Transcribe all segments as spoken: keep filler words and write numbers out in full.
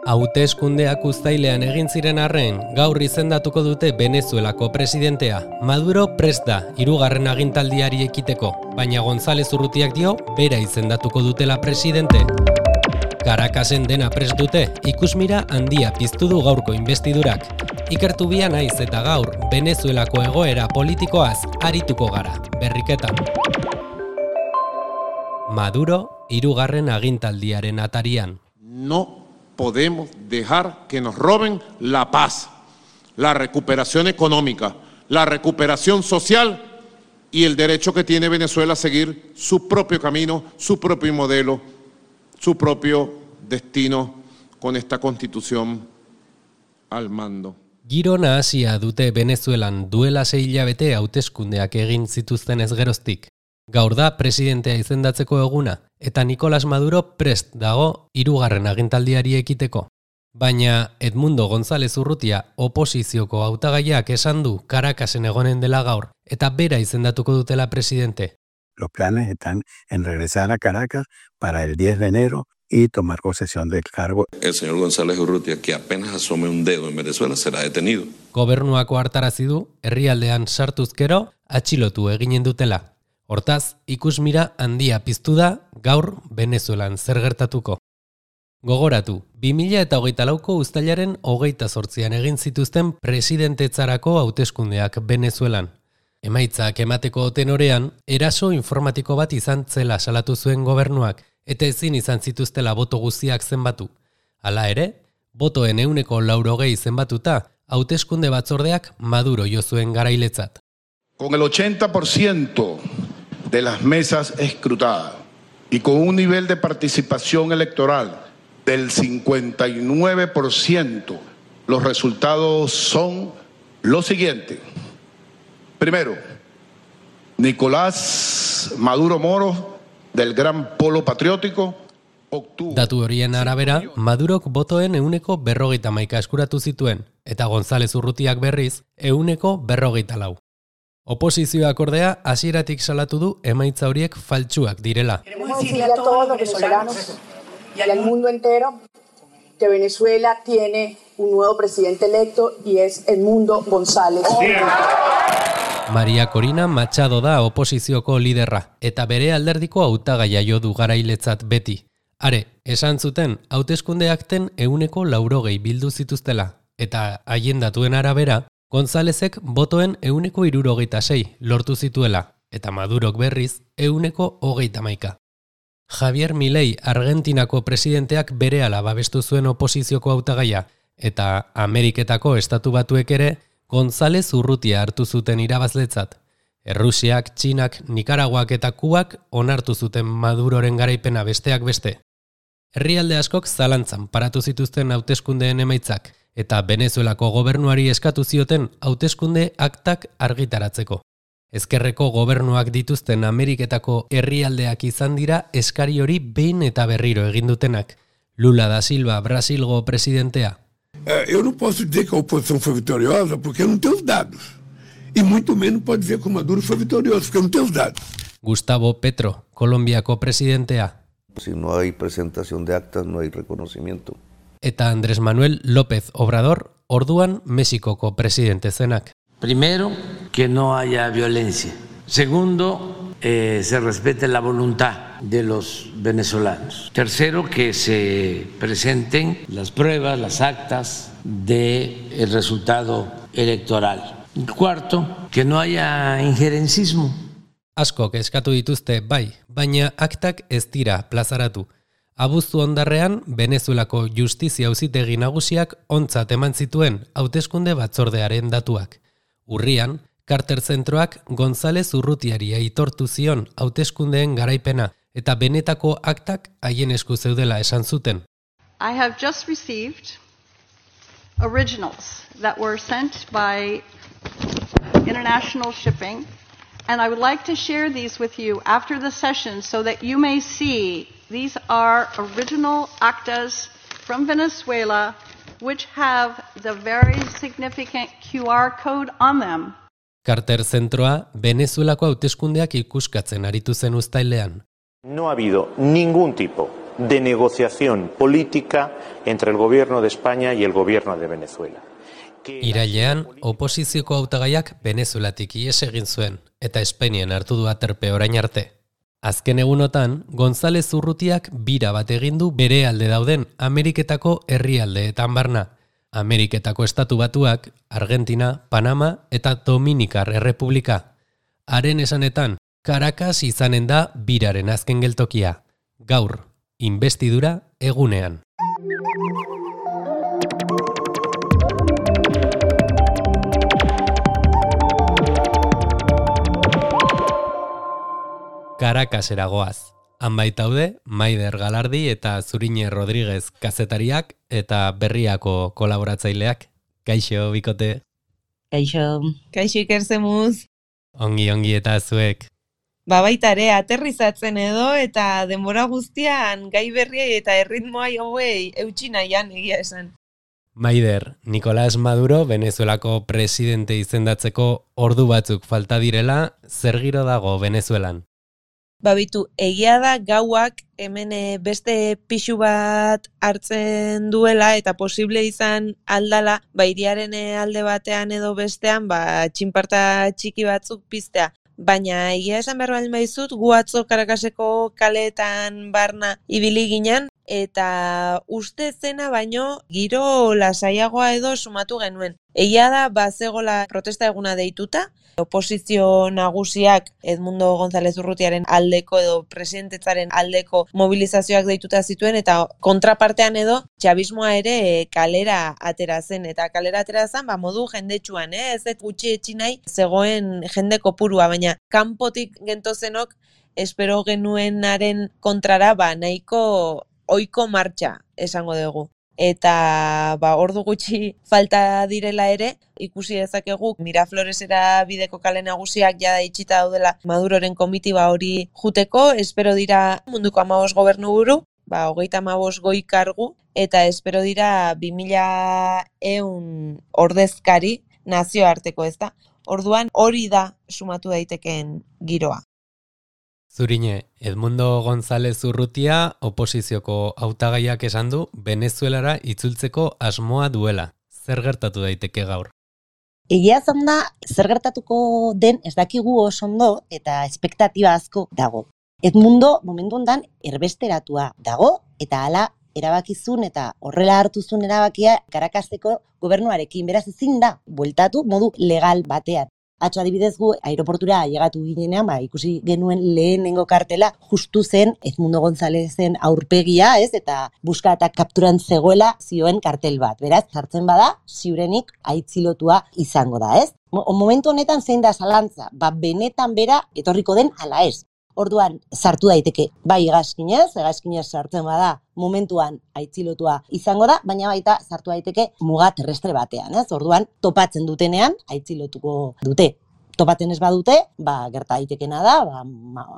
Hauteskundeak uztailean egin ziren arren, gaur izendatuko dute Venezuelako presidentea. Maduro prest da, hirugarren agintaldiari ekiteko, baina González Urrutiak dio bera izendatuko dutela presidente. Caracasen dena prest dute, ikusmira handia piztu du gaurko investidurak. Ikertu bia naiz eta gaur, Venezuelako egoera politikoaz arituko gara, berriketan. Maduro, hirugarren agintaldiaren atarian. No podemos dejar que nos roben la paz, la recuperación económica, la recuperación social y el derecho que tiene Venezuela a seguir su propio camino, su propio modelo, su propio destino con esta constitución al mando. Giro nahasia dute Venezuelan duela sei hilabete hauteskundeak egin zituzten ez geroztik. Gaur da presidentea izendatzeko eguna, eta Nicolás Maduro prest dago hirugarren agintaldiari ekiteko. Baina Edmundo González Urrutia oposizioko hautagaiak esan du Caracasen egonen dela gaur, eta bera izendatuko dutela presidente. Los planes están en regresar a Caracas para el diez de enero y tomar posesión del cargo. El señor González Urrutia, que apenas asome un dedo en Venezuela, será detenido. Gobernuako hartarazi du, herrialdean sartuzkero, atxilotu eginen dutela. Hortaz, ikusmira handia piztu da gaur Venezuelan zer gertatuko. Gogoratu, bi mila hogeita lauko uztailaren hogeita zortzian egin zituzten presidentetzarako hauteskundeak Venezuelan. Emaitzak emateko tenorean, eraso informatiko bat izan zela salatu zuen gobernuak, eta ezin izan zituztela boto guztiak zenbatu. Hala ere, botoen ehuneko laurogei zenbatuta, hauteskunde batzordeak Maduro jo zuen garailetzat. Con el ochenta por ciento de las mesas escrutadas y con un nivel de participación electoral del cincuenta y nueve por ciento, los resultados son los siguientes. Primero, Nicolás Maduro Moro, del Gran Polo Patriótico, obtuvo... Datu horien arabera, Madurok botoen ehuneko berrogeita hamaika eskuratu zituen, eta González Urrutiak berriz ehuneko berrogeita lau. Oposizioak ordea hasieratik salatu du emaitza horiek faltsuak direla. Queremos decirle a todos los venezolanos y al mundo entero que Venezuela tiene un nuevo presidente electo y es Edmundo González. María Corina Machado da oposizioko liderra eta bere alderdiko hautagaia jo du garailetzat beti. Are, esan zuten hauteskundeakten ehuneko laurogei bildu zituztela eta haien datuen arabera Gonzálezek botoen ehuneko hirurogeita sei lortu zituela, eta Madurok berriz ehuneko hogeita hamaika. Javier Milei Argentinako presidenteak berehala babestu zuen oposizioko hautagaia, eta Ameriketako estatu batuek ere González Urrutia hartu zuten irabazletzat. Errusiak, Txinak, Nikaraguak eta Kubak onartu zuten Maduroren garaipena besteak beste. Herrialde askok zalantzan paratu zituzten hauteskundeen emaitzak, eta Venezuelako gobernuari eskatu zioten hauteskunde aktak argitaratzeko. Ezkerreko gobernuak dituzten Ameriketako herrialdeak izan dira eskari hori behin eta berriro egin dutenak. Lula da Silva, Brasilgo presidentea. Eh, eu não posso dizer que a oposição foi vitoriosa porque eu não tenho os dados. E muito menos pode dizer que o Maduro foi vitorioso porque eu não tenho os dados. Gustavo Petro, Kolonbiako presidentea. Si no hay presentación de actas, no hay reconocimiento. Eta Andrés Manuel López Obrador, orduan Mexikoko presidente zenak. Primero, que no haya violencia. Segundo, eh, se respete la voluntad de los venezolanos. Tercero, que se presenten las pruebas, las actas del resultado electoral. Y cuarto, que no haya injerencismo. Askok eskatu dituzte bai, baina aktak ez dira plazaratu. Abuztu ondarrean, Venezuelako justizia auzitegi nagusiak ontzat eman zituen hauteskunde batzordearen datuak. Urrian, Carter Zentroak González Urrutiari aitortu zion hauteskundeen garaipena eta benetako aktak haien esku zeudela esan zuten. I have just received originals that were sent by international shipping, and I would like to share these with you after the session so that you may see these are original actas from Venezuela which have the very significant Q R code on them. Carter Zentroa Venezuelako hauteskundeak ikuskatzen aritu zen uztailean. No ha habido ningún tipo de negociación política entre el gobierno de España y el gobierno de Venezuela. Irailean, oposizioko hautagaiak Venezuelatik ihes egin zuen, eta Espainian hartu du aterpe orain arte. Azken egunotan, González Urrutiak bira bat egin du bere alde dauden Ameriketako herrialdeetan barna. Ameriketako estatu batuak, Argentina, Panama eta Dominikar Errepublika. Haren esanetan, Caracas izanen da biraren azken geltokia. Gaur, inbestidura egunean. Caracasera goaz. Han baitaude, Maider Galardi eta Zurine Rodríguez kazetariak eta berriako kolaboratzaileak. Kaixo, bikote. Kaixo. Kaixo ikerzemuz. Ongi, ongi eta zuek. Ba baitare, aterrizatzen edo eta denbora guztian gai berriei eta erritmoa hauei eutsi nahian egia esan. Maider, Nicolás Maduro Venezuelako presidente izendatzeko ordu batzuk falta direla, zer giro dago Venezuelan? Babitu, egia da gauak hemen beste pixu bat hartzen duela eta posible izan aldala, ba hiriaren alde batean edo bestean, ba txinparta txiki batzuk piztea. Baina egia esan behar baldin badizut, gu atzo Caracaseko kaleetan barna ibili ginen, eta uste zena baino giro lasaiagoa edo sumatu genuen. Egia da, bazegola protesta eguna deituta, oposizio nagusiak Edmundo González Urrutiaren aldeko edo presidentetzaren aldeko mobilizazioak deituta zituen, eta kontrapartean edo txabismoa ere kalera atera zen, eta kalera atera zen, ba, modu jendetsuan, eh? Ez ez gutxi etxi nahi zegoen jende kopurua, baina kanpotik gentozenok espero genuenaren kontrara ba, nahiko oiko martxa esango dugu. Eta ba, ordu gutxi falta direla ere, ikusi dezakegu Mirafloresera bideko kale nagusiak jada itxita daudela Maduroren komitiba hori juteko, espero dira munduko hamabost gobernuburu, ba, hogeita hamabost goi kargu, eta espero dira bi mila ehun ordezkari nazioarteko, ezta? Orduan hori da sumatu daitekeen giroa. Zurine, Edmundo González Urrutia oposizioko hautagaiak esan du Venezuelara itzultzeko asmoa duela. Zer gertatu daiteke gaur? Egia zan da, zer gertatuko den ez dakigu oso ondo eta espektatiba asko dago. Edmundo momentu hontan erbesteratua dago eta hala erabakizun eta horrela hartuzun erabakia Caracaseko gobernuarekin, beraz ezin da bueltatu modu legal batean. Atzo adibidez gu aeroportura llegatu ginenean, ba, ikusi genuen lehenengo kartela justu zen Edmundo Gonzálezen aurpegia, ez? Eta buska eta kapturan zegoela zioen kartel bat. Beraz, sartzen bada, ziurenik aitzilotua izango da, ez? Momentu honetan zein da zalantza, ba, benetan bera etorriko den ala ez. Orduan, sartu daiteke, bai hegazkinez, hegazkinez sartzen bada, momentuan aitzilotua izango da, baina baita sartu daiteke muga terrestre batean, ez? Orduan, topatzen dutenean, aitzilotuko dute. Topatzen ez badute, ba, gerta daitekena da, ba,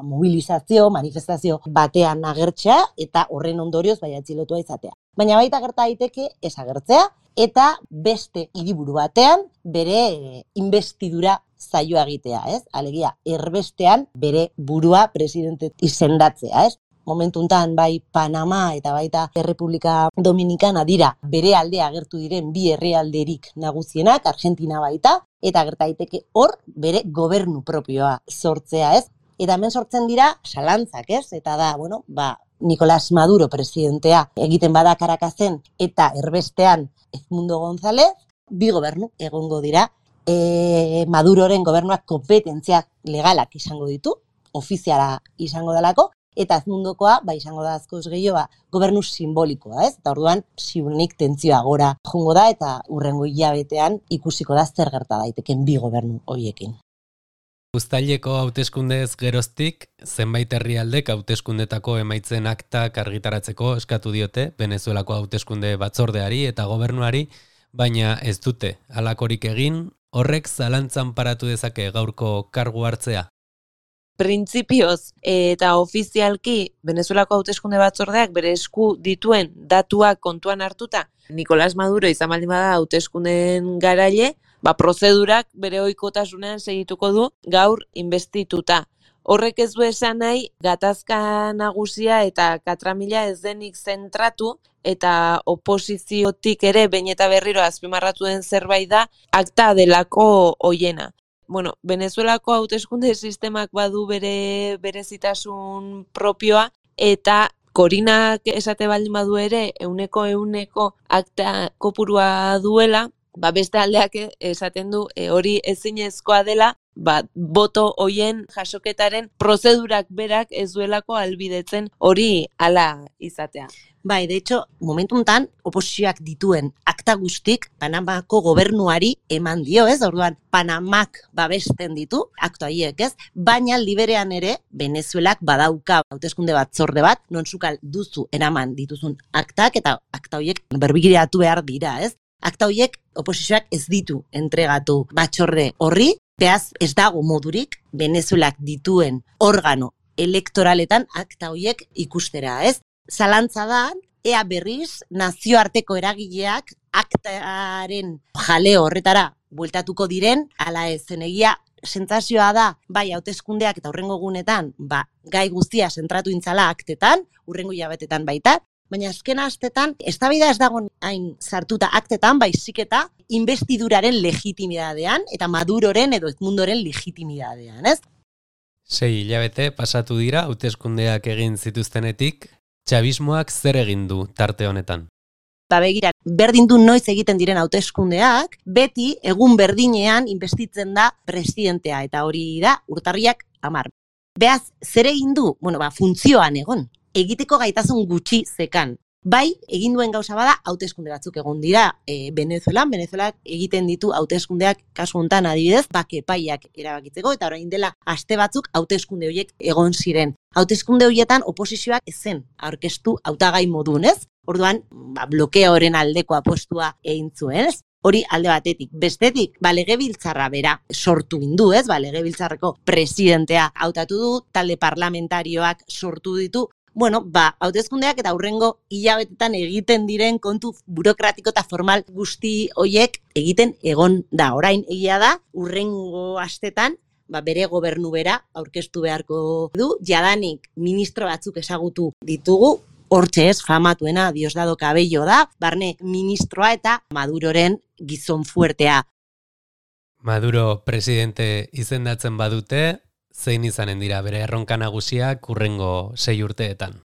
mobilizazio, manifestazio batean agertzea, eta horren ondorioz bai aitzilotua izatea. Baina baita gerta daiteke ez agertzea, eta beste hiriburu batean bere investidura zaioa egitea, ez? Alegia, erbestean bere burua presidente izendatzea, ez? Momentu hontan bai Panama eta baita Errepublika Dominikana dira bere aldea agertu diren bi herrialderik nagusienak, Argentina baita, eta gerta daiteke hor bere gobernu propioa sortzea, ez? Eta hemen sortzen dira salantzak, ez? Eta da, bueno, ba, Nicolás Maduro presidentea egiten bada Caracasen eta erbestean Edmundo González, bi gobernu egongo dira. E, Maduroren gobernuak kompetentziak legalak izango ditu, ofiziala izango delako, eta Edmundokoa, ba, izango da askoz gehiago, ba, gobernu simbolikoa, ez? Eta orduan, ziurrenik tentzioa gora jongo da, eta hurrengo hilabetean ikusiko da zer gerta daiteken bi gobernu horiekin. Uztaileko hauteskundez geroztik, zenbait herrialdek hauteskundetako emaitzen aktak argitaratzeko eskatu diote Venezuelako hauteskunde batzordeari eta gobernuari, baina ez dute halakorik egin, horrek zalantzan paratu dezake gaurko kargu hartzea. Printzipioz eta ofizialki Venezuelako hauteskunde batzordeak bere esku dituen datuak kontuan hartuta, Nicolás Maduro izan baldin bada hauteskundeen garaile, ba prozedurak bere ohikotasunean segituko du gaur investituta. Horrek ez du esan nahi, gatazka nagusia eta katramila ez denik zentratu, eta oposiziotik ere behin eta berriro azpimarratu den zerbait da, akta delako hoiena. Bueno, Venezuelako hauteskunde sistemak badu bere berezitasun propioa, eta Korinak esate baldin badu ere, euneko euneko akta kopurua duela, ba beste aldeak esaten du e, hori ezinezkoa dela, ba, boto hoien jasoketaren prozedurak berak ez duelako albidetzen hori hala izatea. Bai, de hecho, momentu hontan oposizioak dituen akta guztik Panamako gobernuari eman dio, ez? Orduan, Panamak babesten ditu akta horiek, ez? Baina liberean ere Venezuelak badauka hauteskunde batzorde bat, non zukal duzu eraman dituzun aktak eta akta horiek berbigiratu behar dira, ez? Akta horiek oposizioak ez ditu entregatu batzorde horri, beaz ez dago modurik Venezuelak dituen organo elektoraletan akta horiek ikustera, ez? Zalantza da, ea berriz nazioarteko eragileak aktaren jale horretara bueltatuko diren, ala ez, zenegia sentsazioa da, bai hauteskundeak eta hurrengo egunetan, ba, gai guztia zentratu intzala aktetan, hurrengo hilabetetan baita, baina azken astetan, eztabaida ez dago hain sartuta aktetan, baizik eta investiduraren legitimidadean, eta Maduroren edo Edmundoren legitimidadean, ez? Sei hilabete pasatu dira hauteskundeak egin zituztenetik, txabismoak zer egin du tarte honetan? Ba begira, berdin du noiz egiten diren hauteskundeak, beti egun berdinean investitzen da presidentea, eta hori da urtarriak hamar. Beaz, zer egin du? Bueno, ba, funtzioan egon. Egiteko gaitasun gutxi zekan. Bai, egin duen gauza bada, hauteskunde batzuk egon dira e, Venezuelan, Venezuelak egiten ditu hauteskundeak kasu hontan adibidez, bake epaiak erabakitzeko, eta orain dela aste batzuk hauteskunde horiek egon ziren. Hauteskunde horietan oposizioak ezen aurkeztu hautagai modun, ez? Orduan, ba, blokeoren aldeko apostua egin zuen, ez? Hori alde batetik. Bestetik, ba, legebiltzarra bera sortu indu, ez? Ba, legebiltzarreko presidentea hautatu du, talde parlamentarioak sortu ditu. Bueno, ba, hauteskundeak eta hurrengo hilabetetan egiten diren kontu burokratiko eta formal guzti hoiek egiten egon da. Orain egia da, hurrengo astetan, ba, bere gobernu bera aurkeztu beharko du, jadanik ministro batzuk ezagutu ditugu, hortxe ez, famatuena Diosdado Cabello da, barne ministroa eta Maduroren gizon fuertea. Maduro presidente izendatzen badute, zein izanen dira bere erronka nagusiak hurrengo sei urteetan?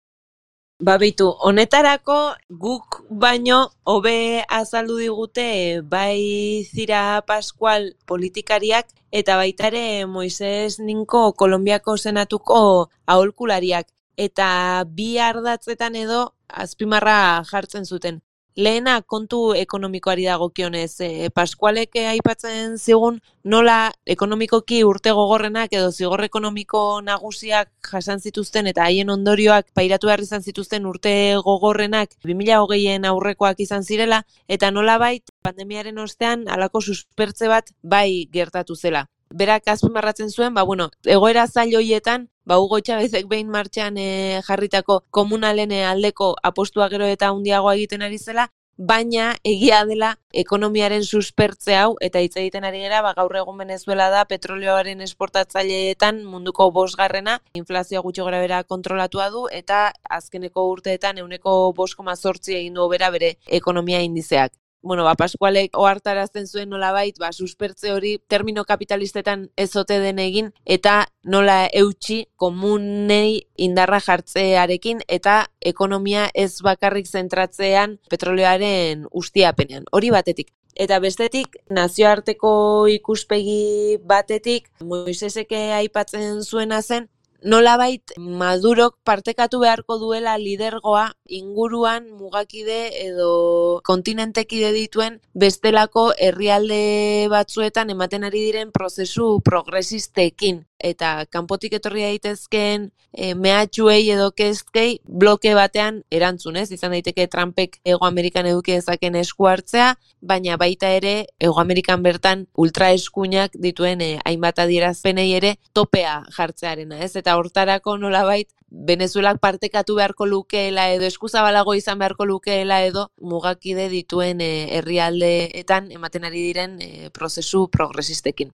Ba beitu, honetarako guk baino hobe azaldu digute bai Zira Pascual politikariak eta baita ere Moises Ninko Kolonbiako senatuko aholkulariak. Eta bi ardatzetan edo azpimarra jartzen zuten. Lehena kontu ekonomikoari dagokionez, e, Pascualek aipatzen zigun nola ekonomikoki urte gogorrenak edo zigor ekonomiko nagusiak jasan zituzten eta haien ondorioak pairatu behar izan zituzten urte gogorrenak bi mila hogeien aurrekoak izan zirela, eta nolabait pandemiaren ostean halako suspertze bat bai gertatu zela. Berak azpimarratzen zuen, ba bueno, egoera zail hoietan, ba Hugo Chávezek behin martxan e, jarritako komunalen aldeko apostua gero eta handiagoa egiten ari zela, baina egia dela ekonomiaren suspertze hau, eta hitz egiten ari gera, ba gaur egun Venezuela da petrolioaren esportatzaileetan munduko bosgarrena, inflazioa gutxi gorabehera kontrolatua du, eta azkeneko urteetan ehuneko bost koma zortzi egin du hobera bere ekonomia indizeak. Bueno, ba, Pascualek ohartarazten zuen nolabait, ba, suspertze hori termino kapitalistetan ezote den egin, eta nola eutxi komunei indarra jartzearekin, eta ekonomia ez bakarrik zentratzean petrolioaren ustiapenean. Hori batetik. Eta bestetik, nazioarteko ikuspegi batetik, Moisesek aipatzen zuena zen, nolabait Madurok partekatu beharko duela lidergoa inguruan mugakide edo kontinentekide dituen bestelako herrialde batzuetan ematen ari diren prozesu progresistekin. Eta kanpotik etorri daitezkeen e, mehatxuei edo kezkei bloke batean erantzunez, izan daiteke Trumpek Hego Amerikan eduki dezaken esku hartzea, baina baita ere Hego Amerikan bertan ultraeskuinak dituen e, hainbat adierazpenei ere topea jartzearena, ez? Eta hortarako nolabait Venezuelak partekatu beharko lukeela edo eskuzabalago izan beharko lukeela edo mugakide dituen e, herrialdeetan ematen ari diren e, prozesu progresistekin.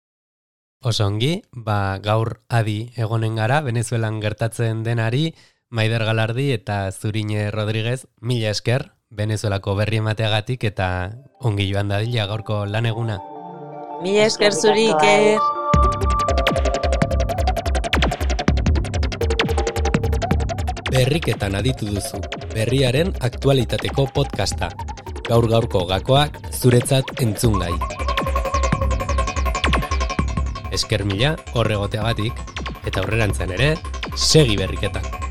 Oso ongi, ba, gaur adi egonen gara, Venezuelan gertatzen denari, Maider Galardi eta Zurine Rodriguez, mila esker, Venezuelako berri emateagatik eta ongi joan dadila gaurko lan eguna. Mila esker zuri, Iker. Berriketan aditu duzu, berriaren aktualitateko podcasta. Gaur gaurko gakoak zuretzat entzungai. Esker mila horregoteagatik eta aurrerantzen ere, segi berriketan.